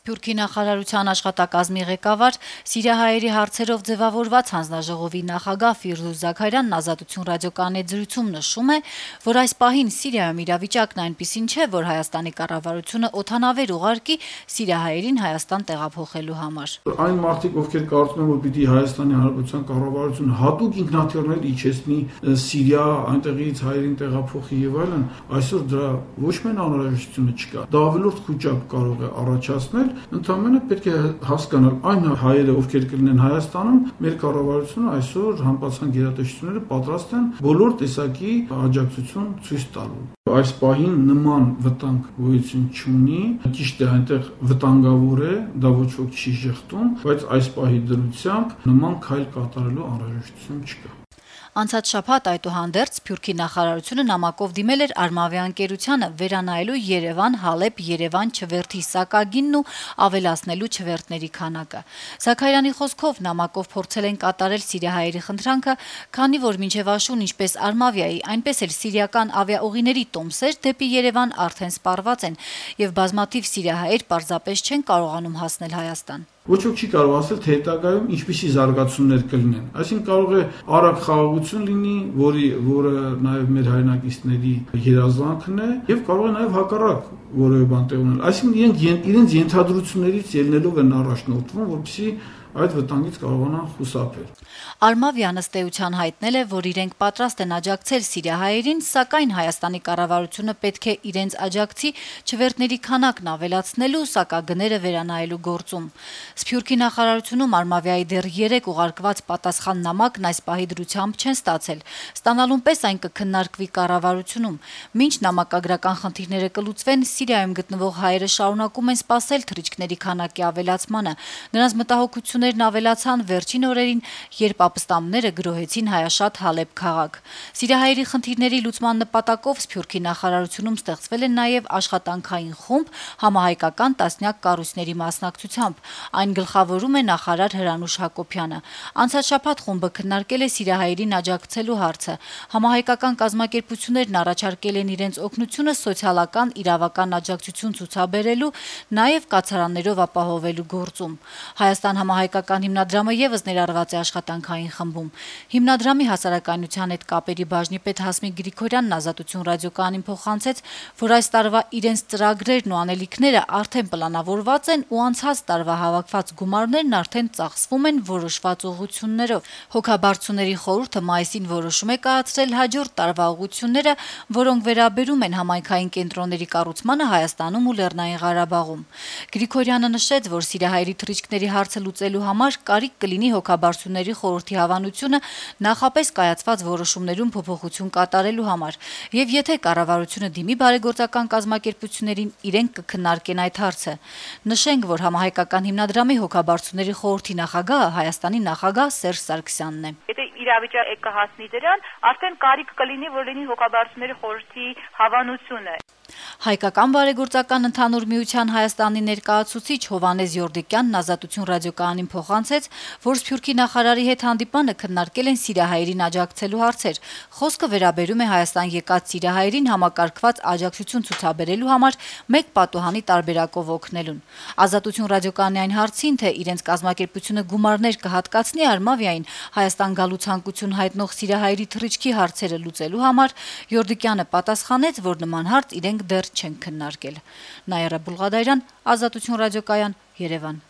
Սփյուռքի նախարարության աշխատակազմի ղեկավար, սիրիահայերի հարցերով ձևավորված հանձնաժողովի նախագահ Ֆիրդուս Զաքարյանն «Ազատություն» ռադիոկայանի հետ զրույցում նշում է, որ այս պահին Սիրիայում իրավիճակն այնպիսին չէ, որ Հայաստանի կառավարությունը օդանավեր ուղարկի սիրիահայերին Հայաստան տեղափոխելու համար։ Այն մարդիկ, ովքեր կարծում են, որ պիտի Հայաստանի Հանրապետության կառավարությունը հատուկ ինքնաթիռներ իջեցնի Սիրիա, այնտեղից հայերին տեղափոխի եւ այլն, այսօր դրա ոչ միայն անհրաժեշտությունը չկա, դա ավելորդ խոճապ կարող է առաջացնել, ընդհանրապես պետք է հասկանալ այն հայերը, ովքեր կլինեն Հայաստանում, մեր կառավարությունը այսօր համապատասխան գերատեսչությունները պատրաստ են բոլոր տեսակի աջակցություն ցույց տալու։ Այս պահին նման վտանգ գոյություն չունի, ճիշտ է այնտեղ վտանգավոր է, դա ոչ ոք չի շղթում, բայց այս պահի դրությամբ նման քայլ կատարելու անհրաժեշտություն չկա։ Անցած շաբաթ այդուհանդերձ Սփյուռքի նախարարությունը նամակով դիմել էր Արմավիա ընկերությանը վերանայելու Երևան-Հալեբ-Երևան չվերթի սակագինն ու ավելացնելու չվերթների քանակը։ Զաքարյանի խոսքով նամակով փորձել են կատարել սիրիահայերի խնդրանքը, քանի որ մինչև աշուն ինչպես Արմավիայի, այնպես էլ սիրիական ավիաուղիների տոմսեր դեպի Երևան արդեն սպառված են, եւ բազմաթիվ սիրիահայեր պարզապես չեն կարողանում հասնել Հայաստան։ Ոչ ոք չի կարող ասել, թե հետագայում ինչպիսի զարգացումներ կլինեն։ Այսինքն կարող է արագ խաղաղություն լինի, որը նաև մեր հայրենակիցների երազանքն է, եւ կարող է նաև հակառակ որևէ բան տեղ ունենալ։ Այսինքն իրենց ենթադրություններից ելնելով են առաջնորդվում, որպեսզի այդ վտանգից կարողանան խուսափել։ Արմավյան ըստ էության հայտնել է, որ իրենք պատրաստ են աջակցել սիրիահայերին, սակայն Հայաստանի կառավարությունը պետք է իրենց աջակցի չվերթների քանակն ավելացնելու, սակագները վերանայելու գործում։ Սփյուռքի նախարարությունում Արմավիայի դեռ 3 ուղարկված պատասխան նամակն այս պահի դրությամբ չեն ստացել։ Ստանալուն պես այն կքննարկվի կառավարությունում։ Մինչ նամակագրական խնդիրները կլուծվեն, Սիրիայում գտնվող հայերը շարունակում են սպասել թռիչքների քանակի ավելացմանը։ Նրանց մտահոգություններն ավելացան վերջին օրերին, երբ ապստամբները գրոհեցին հայաշատ Հալեբ քաղաք։ Սիրիահայերի խնդիրների լուծման նպատակով Սփյուռքի նախարարությունում ստեղծվել է նաև աշխատանքային խումբ համահայկական տասնյակ կառույցների մասնակցությամբ։ Այն գլխավորում է նախարար Հրանուշ Հակոբյանը։ Անցած շաբաթ խումբը քննարկել է սիրիահայերին աջակցելու հարցը։ Համահայկական կազմակերպություններն առաջարկել են իրենց օգնությունը սոցիալական իրավական աջակցություն ցուցաբերելու, նաև կացարաններով ապահովելու գործում։ Հայաստան համահայկական հիմնադրամը եւս ներառված է աշխատանքային խմբում։ Հիմնադրամի հասարակայնության հետ կապերի բաժնի պետ Հասմիկ Գրիգորյանն «Ազատություն» ռադիոկայանին փոխանցեց, որ այս տարվա իրենց ծրագրերն ու անելիքները արդեն պլանավորված են ու անցած տարվա հավաքված գումարներն արդեն ծախսվում են որոշված ուղղություններով։ Հոգաբարձուների խորհուրդը մայիսին որոշում է կայացրել հաջորդ տարվա ուղղությունները, որոնք վերաբերում են համայնքային կենտրոնների կառուցմանը Հայաստանում ու Լեռնային Ղարաբաղում։ Գրիգորյանը նշեց, որ սիրիահայերի թռիչքների հարցը լուծելու համար կարիք կլինի հոգաբարձուների խորհրդի հավանությունը նախապես կայացված որոշումներում փոփոխություն կատարելու համար, եւ եթե կառավարությունը դիմի բարեգործական կազմակերպություններին, իրենք կքննարկեն այդ հարցը։ Նշենք, որ համահայկական հիմնադրամի հոգաբարձուների խորհրդի նախագահը Հայաստանի նախագահ Սերժ Սարգսյանն է։ Եթե իրավիճակը կհասնի դրան, արդեն կարիք կլինի, որ լինի հոգաբարձուների խորհրդի հավանությունը։ Հայկական բարեգործական ընդհանուր միության Հայաստանի ներկայացուցիչ Հովհաննես Յորդիկյանն «Ազատություն» ռադիոկայանին փոխանցեց, որ Սփյուռքի նախարարի հետ հանդիպանը քննարկել են սիրիահայերին աջակցելու հարցեր։ Խոսքը վերաբերում է Հայաստան եկած սիրիահայերին համակարգված աջակցություն ցուցաբերելու համար մեկ պատուհանի տարբերակով օգնելուն։ «Ազատություն» ռադիոկայանի այն հարցին, թե իրենց կազմակերպությունը գումարներ կհատկացնի Արմավիային Հայաստան գալու ցանկություն հայտնող սիրիահայերի թռիչքի հարցերը լուծելու համար, Յորդիկյանը պատասխանեց, որ նման հարց իրենք դեռ չեն քննարկել։ Նաիրա Բուլղադարյան, «Ազատություն» ռադիոկայան, Երևան։